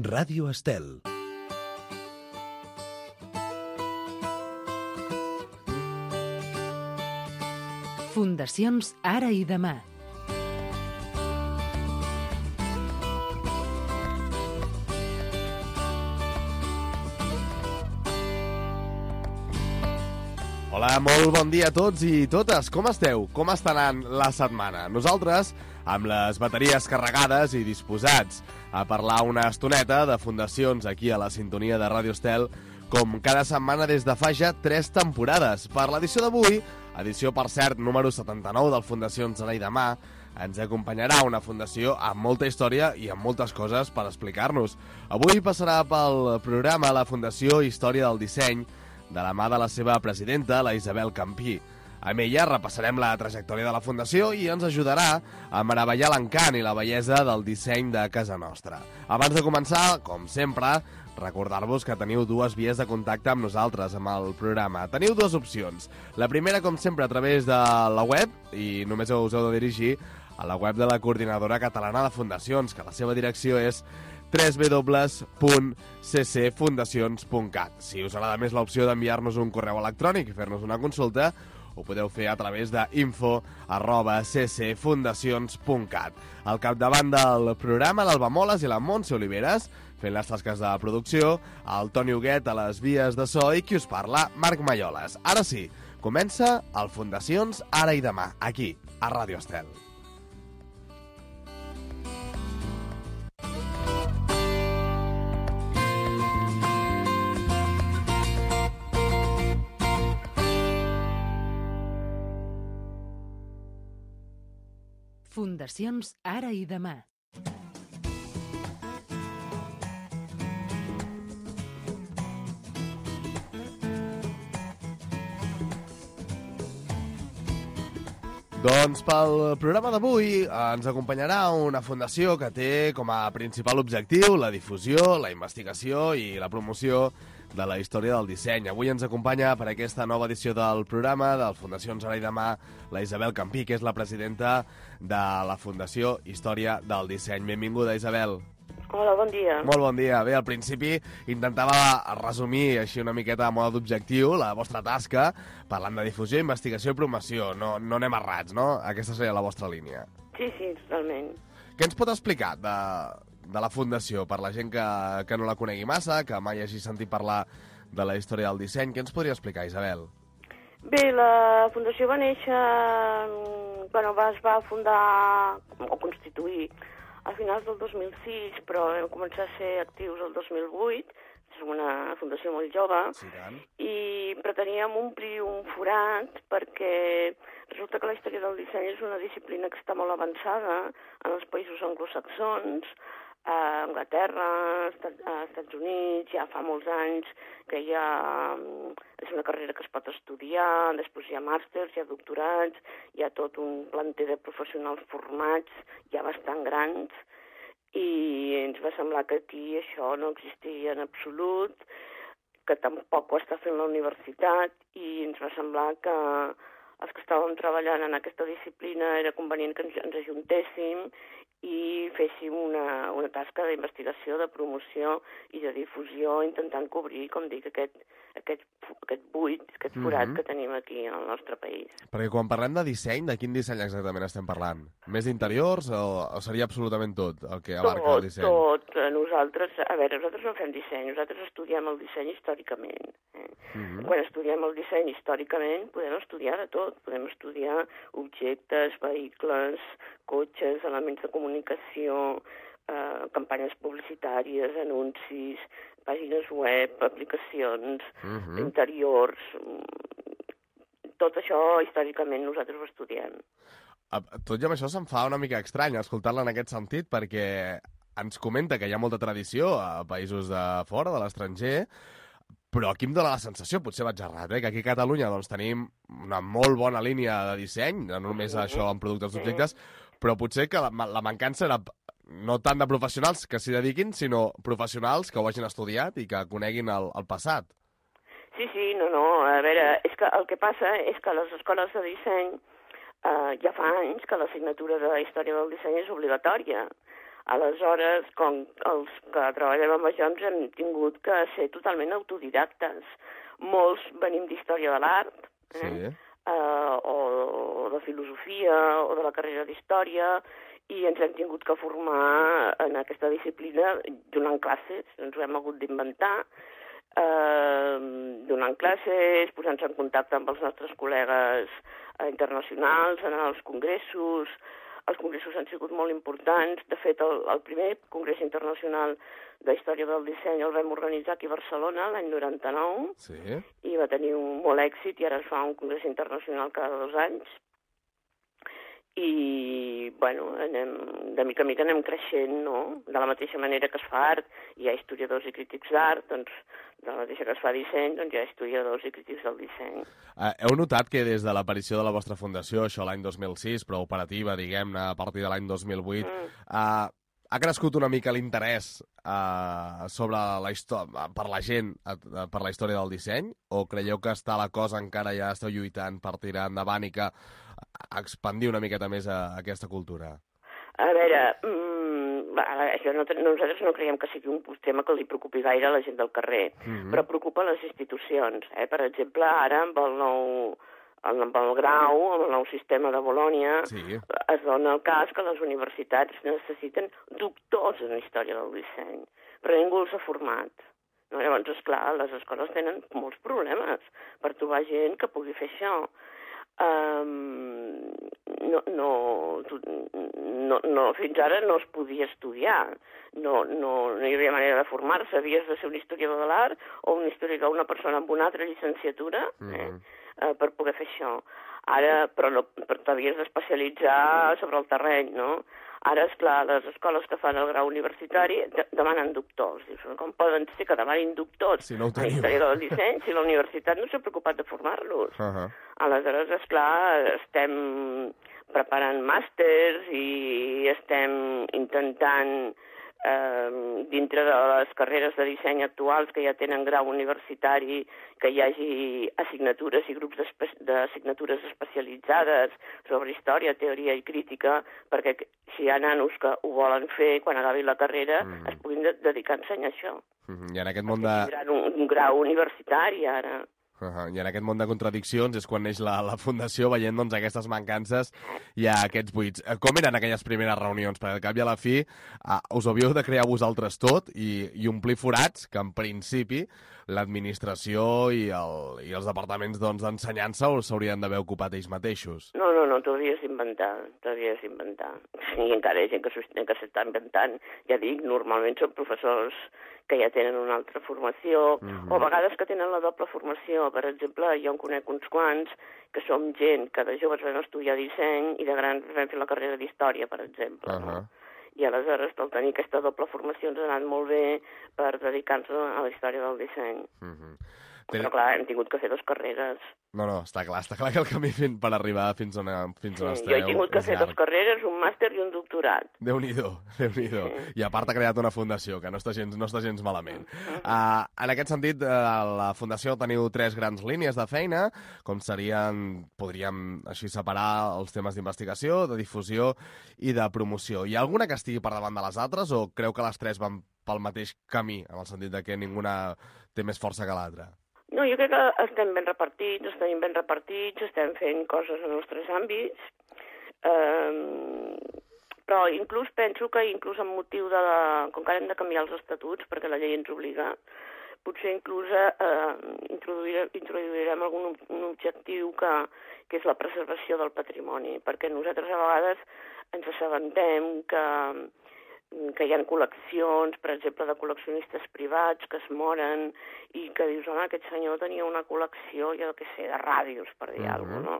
Ràdio Estel. Fundacions Ara i Demà. Hola, molt bon dia a tots i totes. Com esteu? Com està anant la setmana? Nosaltres, amb les bateries carregades i disposats a parlar una estoneta de fundacions aquí a la sintonia de Ràdio Estel, com cada setmana des de fa ja 3 temporades. Per l'edició d'avui, edició, per cert, número 79 del Fundacions Ara i Demà, ens acompanyarà una fundació amb molta història i amb moltes coses per explicar-nos. Avui passarà pel programa la Fundació Història del Disseny, de la mà de la seva presidenta, la Isabel Campí. Amb ella repassarem la trajectòria de la Fundació i ens ajudarà a meravellar l'encant i la bellesa del disseny de casa nostra. Abans de començar, com sempre, recordar-vos que teniu 2 vies de contacte amb nosaltres, amb el programa. Teniu 2 opcions. La primera, com sempre, a través de la web, i només us heu de dirigir a la web de la Coordinadora Catalana de Fundacions, que la seva direcció és www.ccfundacions.cat. Si us agrada més l'opció d'enviar-nos un correu electrònic i fer-nos una consulta, ho podeu fer a través de info@ccfundacions.cat. Al capdavant del programa, l'Alba Moles i la Montse Oliveres, fent les tasques de producció, el Toni Huguet a les vies de so i qui us parla, Marc Malloles. Ara sí, comença el Fundacions Ara i Demà, aquí, a Ràdio Estel. Fundacions Ara i Demà. Doncs pel programa d'avui ens acompanyarà una fundació que té com a principal objectiu la difusió, la investigació i la promoció de la història del disseny. Avui ens acompanya per aquesta nova edició del programa del Fundacions Ara i Demà la Isabel Campí, que és la presidenta de la Fundació Història del Disseny. Benvinguda, Isabel. Hola, bon dia. Molt bon dia. Bé, al principi intentava resumir així una miqueta a mode d'objectiu la vostra tasca, parlant de difusió, investigació i promoció. No anem errats, no? Aquesta seria la vostra línia. Sí, totalment. Què ens pot explicar de la Fundació, per la gent que no la conegui massa, que mai hagi sentit parlar de la història del disseny? Què ens podria explicar, Isabel? Bé, la Fundació va néixer... es va fundar o constituir a finals del 2006, però vam començar a ser actius el 2008. És una fundació molt jove. Sí, tant. I preteníem omplir un forat perquè resulta que la història del disseny és una disciplina que està molt avançada en els països anglosaxons, a Anglaterra, als Estats Units, ja fa molts anys que és una carrera que es pot estudiar, després hi ha màsters, hi ha doctorats, hi ha tot un planter de professionals formats, ja bastant grans, i ens va semblar que aquí això no existia en absolut, que tampoc ho està fent la universitat, i ens va semblar que els que estàvem treballant en aquesta disciplina era convenient que ens ajuntéssim i féssim una tasca d'investigació, de promoció i de difusió, intentant cobrir, com dic, aquest buit, aquest forat que tenim aquí al nostre país. Perquè quan parlem de disseny, de quin disseny exactament estem parlant? Més d'interiors o seria absolutament tot el que abarca el disseny? Tot. Nosaltres no fem disseny, nosaltres estudiem el disseny històricament. Quan estudiem el disseny històricament podem estudiar de tot. Podem estudiar objectes, vehicles, cotxes, elements de comunicació, campanyes publicitàries, anuncis, pàgines web, aplicacions, interiors... Tot això, històricament, nosaltres ho estudiem. Tot i amb això se'm fa una mica estrany escoltar-la en aquest sentit, perquè ens comenta que hi ha molta tradició a països de fora, de l'estranger, però aquí em dóna la sensació, potser vaig errat, que aquí a Catalunya doncs, tenim una molt bona línia de disseny, no només això en productes d'objectes, però potser que la mancança era no tant de professionals que s'hi dediquin, sinó professionals que ho hagin estudiat i que coneguin el passat. Sí, no, a veure, és que el que passa és que a les escoles de disseny ja fa anys que l'assignatura de història del disseny és obligatòria. Aleshores, com els que treballem amb això ens hem tingut que ser totalment autodidactes. Molts venim d'història de l'art, o de filosofia, o de la carrera d'història, i ens hem tingut que formar en aquesta disciplina donant classes, ens ho hem hagut d'inventar, donant classes, posant-se en contacte amb els nostres col·legues internacionals, anar als congressos. Els congressos han sigut molt importants. De fet, el primer congrés internacional de història del disseny el vam organitzar aquí a Barcelona l'any 99 i va tenir molt èxit i ara es fa un congrés internacional cada 2 anys. I, bueno, de mica en mica anem creixent, no? De la mateixa manera que es fa art, hi ha historiadors i crítics d'art, doncs, de la mateixa que es fa disseny, doncs hi ha historiadors i crítics del disseny. Heu notat que des de l'aparició de la vostra fundació, això l'any 2006, però operativa, diguem-ne, a partir de l'any 2008, ha crescut una mica l'interès sobre per la gent per la història del disseny? O creieu que està la cosa encara ja esteu lluitant per tirar endavant i que expandir una miqueta més aquesta cultura? A veure, això nosaltres no creiem que sigui un tema que li preocupi gaire a la gent del carrer, però preocupa les institucions. Per exemple, ara amb el grau, amb el nou sistema de Bolònia, es dona el cas que les universitats necessiten doctors en història del disseny, però ningú els ha format. Llavors, esclar, les escoles tenen molts problemes per trobar gent que pugui fer això. Fins ara no es podia estudiar, no hi havia manera de formar-se, havies de ser un historiador de l'art o una persona amb una altra llicenciatura per poder fer això. Ara, però t'havies d'especialitzar sobre el terreny, no? Ara, esclar, les escoles que fan el grau universitari demanen doctors. Com poden ser que demanin doctors en història del disseny si la universitat no s'ha preocupat de formar-los? Aleshores, esclar, estem preparant màsters i estem intentant, dintre de les carreres de disseny actuals que ja tenen grau universitari, que hi hagi assignatures i grups d'assignatures especialitzades sobre història, teoria i crítica, perquè si hi ha nanos que ho volen fer, quan acabi la carrera, es puguin dedicar a ensenyar això. I en aquest món de... Tindran un grau universitari, ara. I en aquest món de contradiccions és quan neix la Fundació, veient doncs, aquestes mancances i aquests buits. Com eren aquelles primeres reunions? Perquè al cap i a la fi us havíeu de crear vosaltres tot i omplir forats que en principi l'administració i els departaments d'ensenyança s'haurien d'haver ocupat ells mateixos. No, t'ho havies d'inventar. I encara hi ha gent que s'està inventant. Ja dic, normalment són professors que ja tenen una altra formació, o a vegades que tenen la doble formació. Per exemple, jo en conec uns quants que som gent que de joves vam estudiar disseny i de grans vam fer la carrera d'història, per exemple. I aleshores, al tenir aquesta doble formació, ens ha anat molt bé per dedicar-nos a la història del disseny. Però clar, hem tingut que fer 2 carreres. No, està clar que el camí per arribar fins on esteu... Jo he tingut que fer 2 carreres, un màster i un doctorat. Déu-n'hi-do. I a part ha creat una fundació, que no està gens malament. En aquest sentit, la fundació teniu 3 grans línies de feina, com podríem així separar els temes d'investigació, de difusió i de promoció. Hi ha alguna que estigui per davant de les altres o creu que les 3 van pel mateix camí, en el sentit que ninguna té més força que l'altra? No, jo crec que estem ben repartits, estem fent coses en els 3 àmbits, però penso que amb motiu de com que hem de canviar els estatuts, perquè la llei ens obliga, potser inclús introduirem un objectiu que és la preservació del patrimoni, perquè nosaltres a vegades ens assabentem que hi ha col·leccions, per exemple, de col·leccionistes privats que es moren i que dius, home, aquest senyor tenia una col·lecció, jo què sé, de ràdios, per dir alguna cosa, no?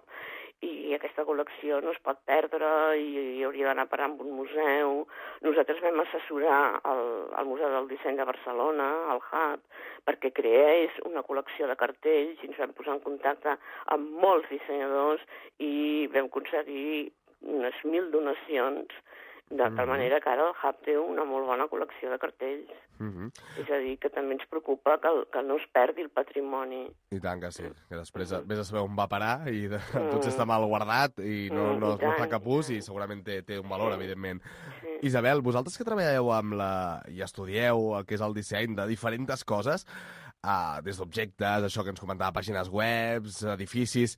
I aquesta col·lecció no es pot perdre i hauria d'anar a parar en un museu. Nosaltres vam assessorar al Museu del Disseny de Barcelona, al HUB, perquè creés una col·lecció de cartells i ens vam posar en contacte amb molts dissenyadors i vam aconseguir unes 1.000 donacions De tal manera que ara el Hub té una molt bona col·lecció de cartells. És a dir, que també ens preocupa que no es perdi el patrimoni. I tant que sí, que després vés a saber on va parar i potser està mal guardat i no fa cap ús i segurament té un valor, evidentment. Sí. Isabel, vosaltres que treballeu i estudieu el que és el disseny de diferents coses, des d'objectes, això que ens comentava, pàgines webs, edificis,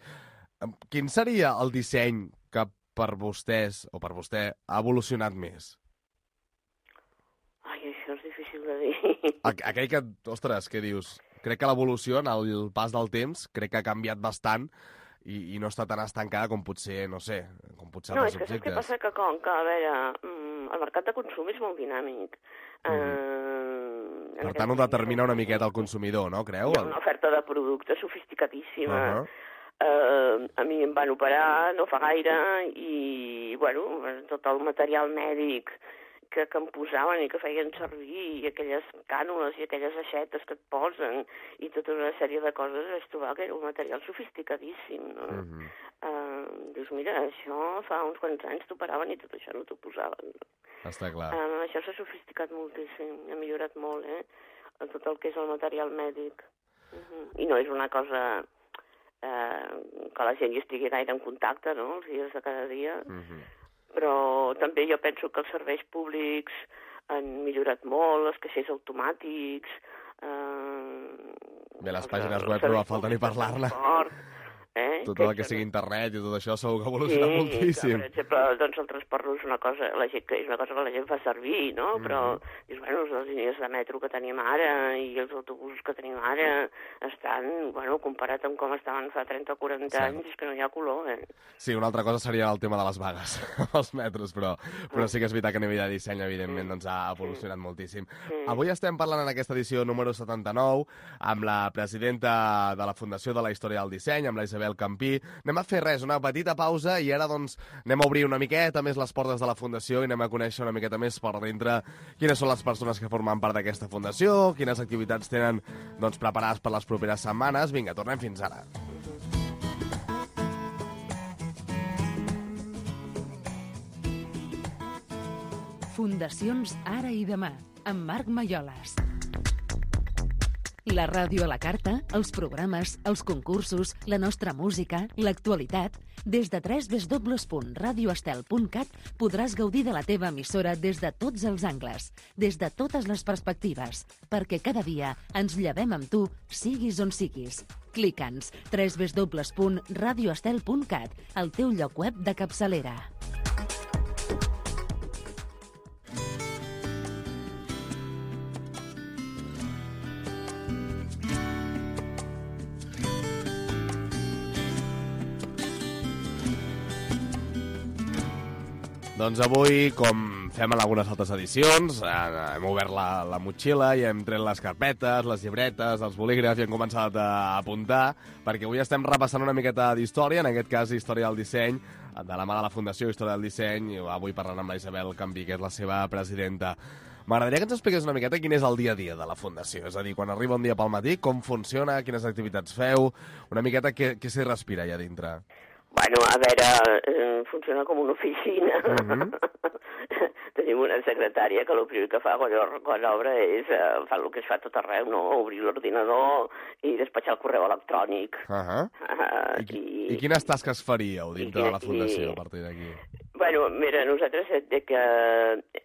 quin seria el disseny que per vostès o per vostè ha evolucionat més? Ai, això és difícil de dir. Aquell que, ostres, què dius? Crec que l'evolució, en el pas del temps, crec que ha canviat bastant i no està tan estancada com potser, no sé, com potser altres objectes. No, és que saps què passa? Que, a veure, el mercat de consum és molt dinàmic. Per tant, ho determina una miqueta el consumidor, no, creu? Hi ha una oferta de productes sofisticadíssima. A mi em van operar no fa gaire i, bueno, tot el material mèdic que em posaven i que feien servir, i aquelles cànules i aquelles aixetes que et posen, i tota una sèrie de coses, vaig trobar que era un material sofisticadíssim, no? Dius, mira, això fa uns quants anys t'operaven i tot això no t'ho posaven. Està clar. Això s'ha sofisticat moltíssim, ha millorat molt, tot el que és el material mèdic. I no és una cosa que la gent hi estigui gaire en contacte, no?, els dies de cada dia. Però també jo penso que els serveis públics han millorat molt, els caixers automàtics... Bé, les pàgines web no fa falta ni parlar-ne. Tot el que sigui internet i tot això segur que evoluciona moltíssim. Per exemple, doncs el transport no és una cosa, és una cosa que la gent fa servir, no? Però, dius, bueno, les línies de metro que tenim ara i els autobusos que tenim ara estan, bueno, comparat amb com estaven fa 30 o 40 anys, és que no hi ha color, Sí, una altra cosa seria el tema de les vagues als metros, però sí que és veritat que a nivell de disseny, evidentment, doncs ha evolucionat moltíssim. Avui estem parlant en aquesta edició número 79 amb la presidenta de la Fundació de la Història del Disseny, amb la Isabel Campí. Anem a fer una petita pausa i ara doncs anem a obrir una miqueta més les portes de la Fundació i anem a conèixer una miqueta més per dintre quines són les persones que formen part d'aquesta Fundació, quines activitats tenen doncs preparades per les properes setmanes. Vinga, tornem fins ara. Fundacions Ara i Demà, amb Marc Malloles. La ràdio a la carta, els programes, els concursos, la nostra música, l'actualitat... Des de www.radioestel.cat podràs gaudir de la teva emissora des de tots els angles, des de totes les perspectives, perquè cada dia ens llevem amb tu, siguis on siguis. Clica'ns www.radioestel.cat, el teu lloc web de capçalera. Doncs avui, com fem en algunes altres edicions, hem obert la motxilla i hem tret les carpetes, les llibretes, els bolígrafs i hem començat a apuntar, perquè avui estem repassant una miqueta d'història, en aquest cas Història del Disseny, de la mà de la Fundació Història del Disseny, i avui parlant amb la Isabel Campí, que és la seva presidenta. M'agradaria que ens expliqués una miqueta quin és el dia a dia de la Fundació, és a dir, quan arriba un dia pel matí, com funciona, quines activitats feu, una miqueta què s'hi respira allà dintre. Bueno, a veure, funciona com una oficina. Tenim una secretària que el primer que fa quan obre és fa el que es fa tot arreu, no? Obrir l'ordinador i despatxar el correu electrònic. I quines tasques faríeu dintre de la Fundació a partir d'aquí? Bueno, mira, nosaltres que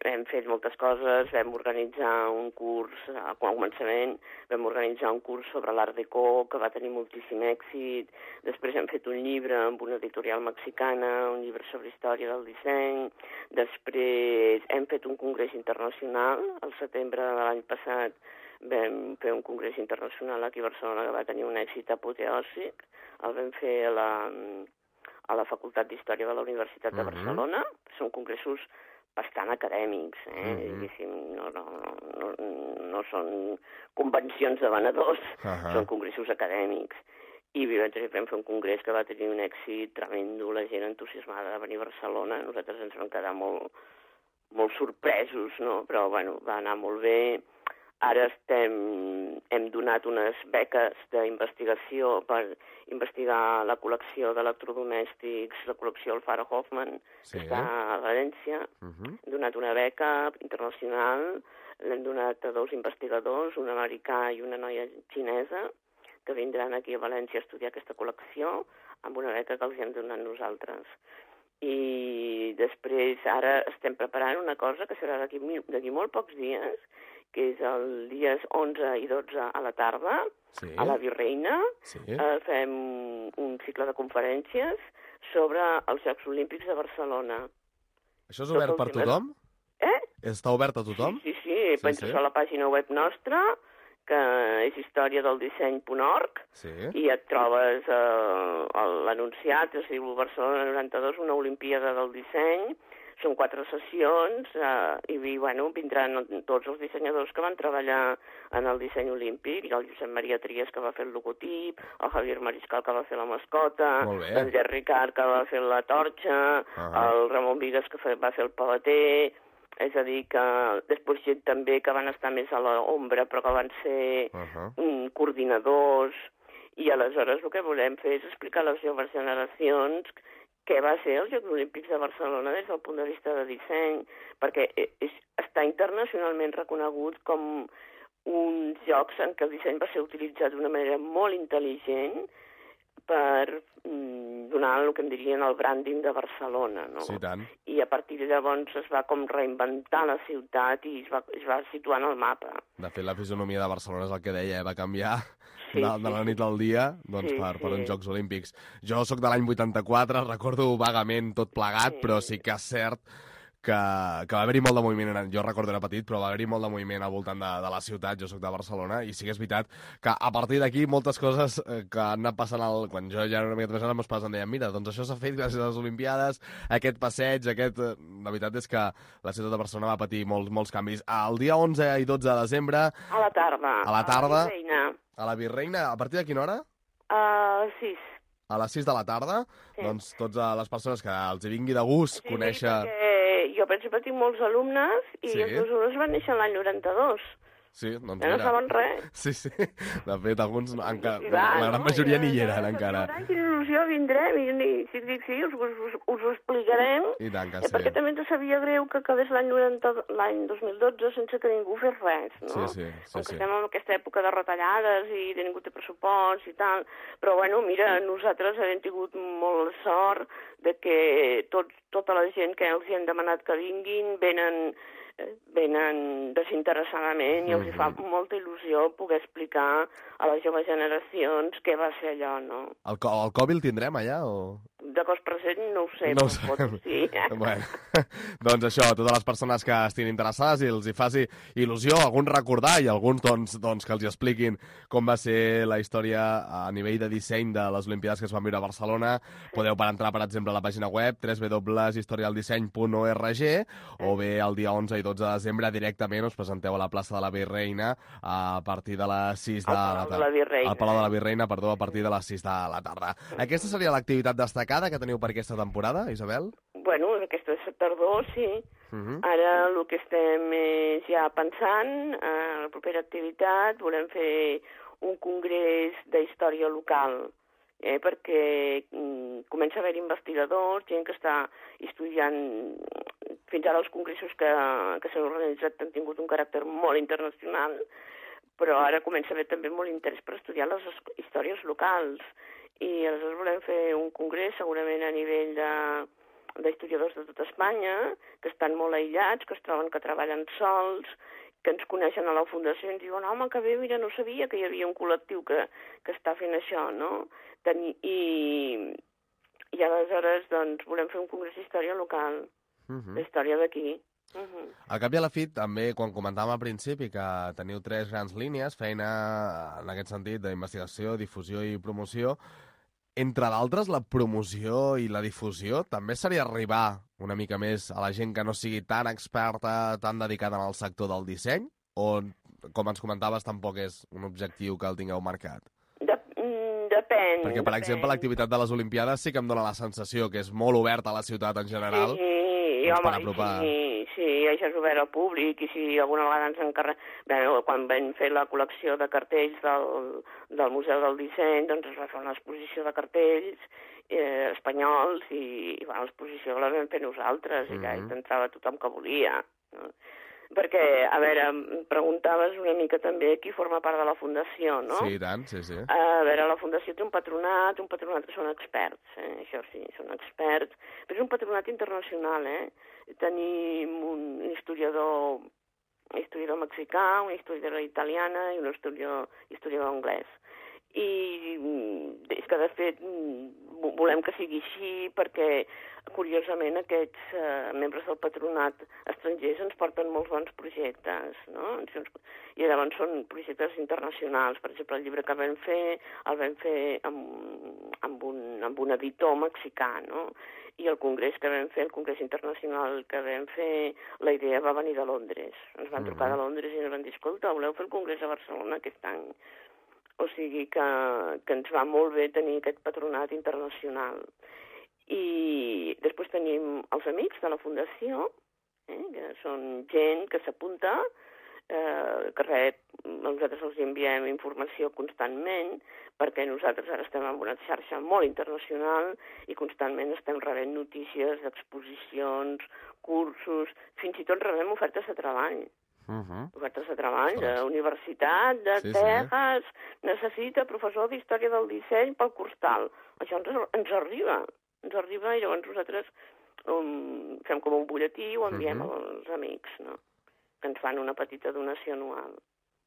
hem fet moltes coses, vam organitzar un curs, al començament vam organitzar un curs sobre l'Art Déco, que va tenir moltíssim èxit, després hem fet un llibre amb una editorial mexicana, un llibre sobre història del disseny, després hem fet un congrés internacional, al setembre de l'any passat vam fer un congrés internacional aquí a Barcelona que va tenir un èxit apoteòsic, el vam fer a la Facultat d'Història de la Universitat de Barcelona. Són congressos bastant acadèmics, diguéssim, no són convencions de venedors, són congressos acadèmics. I vam fer un congrés que va tenir un èxit tremendo, la gent entusiasmada de venir a Barcelona, nosaltres ens vam quedar molt sorpresos, no? Però, bueno, va anar molt bé. Ara hem donat unes beques d'investigació per investigar la col·lecció d'electrodomèstics, la col·lecció Alfaro Hoffman, que està a València. Hem donat una beca internacional, l'hem donat a 2 investigadors, un americà i una noia xinesa, que vindran aquí a València a estudiar aquesta col·lecció, amb una beca que els hem donat nosaltres. I després ara estem preparant una cosa que serà d'aquí molt pocs dies, que és el dies 11 i 12 a la tarda, a la Virreina. Fem un cicle de conferències sobre els Jocs Olímpics de Barcelona. Això és obert per tothom? Està obert a tothom? Sí. Penses a la pàgina web nostra, que és historiadeldisseny.org, i et trobes l'anunciat, es diu Barcelona 92, una Olimpíada del Disseny. Són 4 sessions i vindran tots els dissenyadors que van treballar en el disseny olímpic, el Josep Maria Trias, que va fer el logotip, el Javier Mariscal, que va fer la mascota, l'Andrés Ricard, que va fer la torxa, el Ramon Vigues, que va fer el paleter. És a dir, que després gent també que van estar més a l'ombra, però que van ser coordinadors. I aleshores el que volem fer és explicar a les joves generacions què va ser els Jocs Olímpics de Barcelona des del punt de vista de disseny, perquè està internacionalment reconegut com uns jocs en què el disseny va ser utilitzat d'una manera molt intel·ligent per donar el que en dirien el branding de Barcelona, no? Sí, tant. I a partir de llavors es va com reinventar la ciutat i es va situar en el mapa. De fet, la fisonomia de Barcelona és el que deia, va canviar de la nit al dia per uns Jocs Olímpics. Jo sóc de l'any 84, recordo vagament tot plegat, però sí que és cert que va haver-hi molt de moviment. Jo recordo era petit, però va haver-hi molt de moviment al voltant de la ciutat. Jo sóc de Barcelona i sí que és veritat que a partir d'aquí moltes coses que han anat passant quan jo ja era una mica més gran, els meus pares em deien, mira, doncs això s'ha fet gràcies a les Olimpiades, aquest passeig, la veritat és que la ciutat de Barcelona va patir molts canvis. El dia 11 i 12 de desembre... A la tarda. A la tarda. A la Virreina. A partir de quina hora? A 6. A les 6 de la tarda? Sí. Doncs totes les persones que els hi vingui de gust conèixer... Jo, per exemple, tinc molts alumnes i els meus alumnes van néixer l'any 92. Sí, doncs mira. No saben res. Sí. De fet, alguns encara... La gran majoria ni hi eren, encara. Quina il·lusió, vindrem i si dic sí, us ho explicarem. I tant que sí. Perquè també ens sabia greu que acabés l'any 2012 sense que ningú fes res, no? Sí. Estem en aquesta època de retallades i de ningú té pressupost i tal. Però, mira, nosaltres hem tingut molt sort de que tota la gent que els hi hem demanat que vinguin venen desinteressadament i els hi fa molta il·lusió poder explicar a les joves generacions què va ser allò, no? El Covid el tindrem allà o...? De cos present no ho sé, no ho sabem. Sí. Bueno, doncs això, a totes les persones que estiguin interessades i els hi faci il·lusió, alguns recordar i alguns doncs que els hi expliquin com va ser la història a nivell de disseny de les Olimpiades que es van viure a Barcelona, podeu entrar, per exemple, a la pàgina web www.historialdisseny.org o bé el dia 11 i 12 de desembre directament us presenteu a la plaça de la Virreina a partir de les 6 de la tarda. Al Palau de la Virreina, a partir de les 6 de la tarda. Aquesta seria l'activitat destacada que teniu per aquesta temporada, Isabel? Bueno, aquesta tardor, sí. Ara el que estem és ja pensant, a la propera activitat volem fer un congrés d'història local, perquè comença a haver investigadors, gent que està estudiant. Fins ara els congressos que s'han organitzat han tingut un caràcter molt internacional, però ara comença a haver també molt interès per estudiar les històries locals. I aleshores volem fer un congrés segurament a nivell d'historiadors de tot Espanya, que estan molt aïllats, que es troben que treballen sols, que ens coneixen a la Fundació i ens diuen, home, que bé, mira, no sabia que hi havia un col·lectiu que està fent això, no? I aleshores doncs, volem fer un congrés d'història local, d'història d'aquí. Al cap i a la fi, també, quan comentàvem al principi que teniu 3 grans línies, feina en aquest sentit d'investigació, difusió i promoció, entre d'altres, la promoció i la difusió també seria arribar una mica més a la gent que no sigui tan experta, tan dedicada en el sector del disseny? O, com ens comentaves, tampoc és un objectiu que el tingueu marcat? Depèn. Perquè, per exemple, l'activitat de les Olimpiades sí que em dona la sensació que és molt oberta a la ciutat en general. Sí, per apropar... Sí, això és obert al públic, i si alguna vegada ens encarreguem... Bé, quan vam fer la col·lecció de cartells del Museu del Disseny, doncs es va fer una exposició de cartells espanyols, i l'exposició la vam fer nosaltres, i que hi entrava tothom que volia, no? Perquè, a veure, em preguntaves una mica també qui forma part de la Fundació, no? Sí, i tant, sí. A veure, la Fundació té un patronat que són experts, això sí, són experts, però és un patronat internacional, Tenim un historiador mexicà, una historiadora italiana i un historiador anglès. I és que, de fet, volem que sigui així perquè, curiosament, aquests membres del patronat estrangers ens porten molts bons projectes, no? I llavors són projectes internacionals. Per exemple, el llibre que vam fer, el vam fer amb un editor mexicà, no? I el congrés que vam fer, el congrés internacional que vam fer, la idea va venir de Londres. Ens van trucar de Londres i ens van dir, escolta, voleu fer el congrés a Barcelona aquest any? O sigui que ens va molt bé tenir aquest patronat internacional. I després tenim els amics de la Fundació, que són gent que s'apunta, que nosaltres els enviem informació constantment, perquè nosaltres ara estem en una xarxa molt internacional i constantment estem rebent notícies d'exposicions, cursos, fins i tot rebem ofertes de treball. Ofertes de treball, de universitat, de Texas, necessita professor d'Història del Disseny pel curs tal. Això ens arriba, i llavors nosaltres fem com un butlletí i ho enviem als amics, no? Que ens fan una petita donació anual.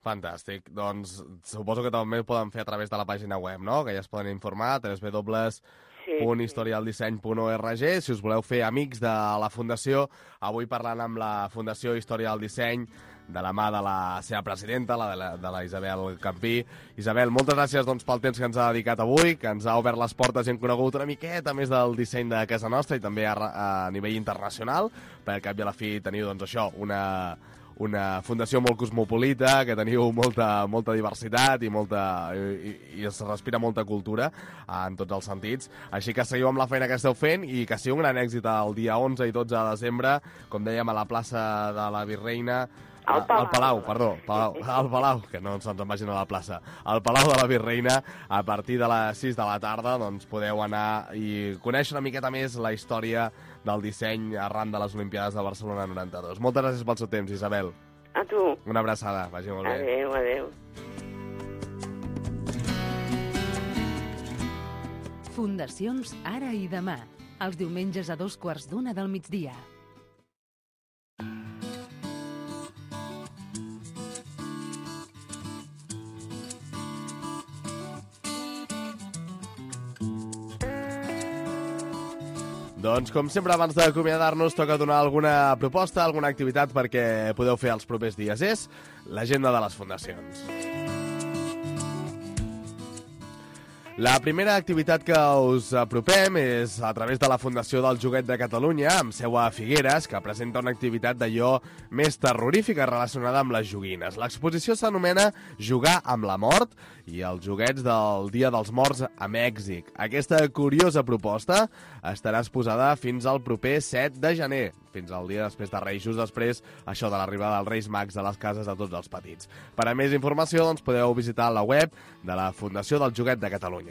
Fantàstic. Doncs suposo que també ho poden fer a través de la pàgina web, no? Que ja es poden informar a www.historialdisseny.org. Si us voleu fer amics de la Fundació, avui parlant amb la Fundació Història del Disseny, de la mà de la seva presidenta, de la Isabel Campí. Isabel, moltes gràcies pel temps que ens ha dedicat avui, que ens ha obert les portes i hem conegut una miqueta més del disseny de casa nostra i també a nivell internacional, perquè al cap i a la fi teniu això, una fundació molt cosmopolita, que teniu molta diversitat i es respira molta cultura en tots els sentits. Així que seguiu amb la feina que esteu fent i que sigui un gran èxit el dia 11 i 12 de desembre, com dèiem, a la plaça de la Virreina, al Palau, que no se'ns en vagin a la plaça, al Palau de la Virreina, a partir de les 6 de la tarda, doncs podeu anar i conèixer una miqueta més la història del disseny arran de les Olimpiades de Barcelona 92. Moltes gràcies pel seu temps, Isabel. A tu. Una abraçada, vagi molt bé. Adéu. Fundacions Ara i Demà, els diumenges a 2:15 del migdia. Doncs, com sempre, abans d'acomiadar-nos, toca donar alguna proposta, alguna activitat perquè podeu fer els propers dies. És l'agenda de les fundacions. La primera activitat que us apropem és a través de la Fundació del Joguet de Catalunya, amb seu a Figueres, que presenta una activitat d'allò més terrorífica relacionada amb les joguines. L'exposició s'anomena Jugar amb la mort i els joguets del Dia dels Morts a Mèxic. Aquesta curiosa proposta estarà exposada fins al proper 7 de gener, fins al dia després de Reis, just després això de l'arribada dels Reis Mags a les cases de tots els petits. Per a més informació, doncs, podeu visitar la web de la Fundació del Joguet de Catalunya.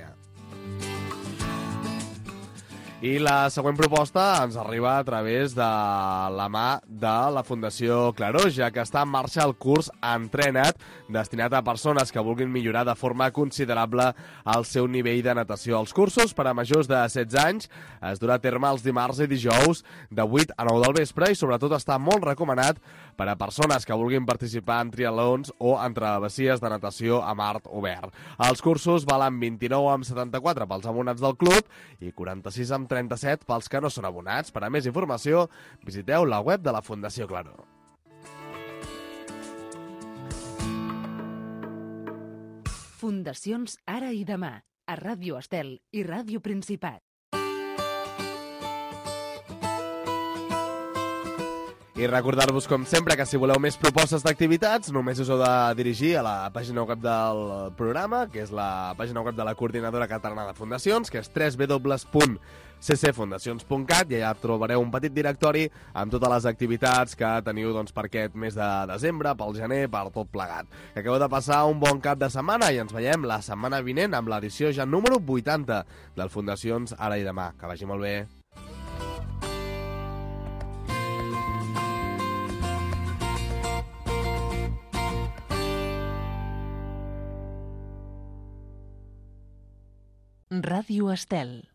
I la següent proposta ens arriba a través de la mà de la Fundació Claró, ja que està en marxa el curs Entrena't, destinat a persones que vulguin millorar de forma considerable el seu nivell de natació. Els cursos per a majors de 16 anys es durà a terme els dimarts i dijous de 8 a 9 del vespre i sobretot està molt recomanat per a persones que vulguin participar en triatlons o en travessies de natació a mar obert. Els cursos valen 29,74 pels abonats del club i 46,37 pels que no són abonats. Per a més informació, visiteu la web de la Fundació Claró. Fundacions Ara i Demà, a Ràdio Estel i Ràdio Principat. I recordar-vos, com sempre, que si voleu més propostes d'activitats, només us heu de dirigir a la pàgina web del programa, que és la pàgina web de la Coordinadora Catalana de Fundacions, que és www.ccfundacions.cat, i allà trobareu un petit directori amb totes les activitats que teniu per aquest mes de desembre, pel gener, per tot plegat. Que acabeu de passar un bon cap de setmana i ens veiem la setmana vinent amb l'edició ja número 80 del Fundacions Ara i Demà. Que vagi molt bé. Ràdio Estel.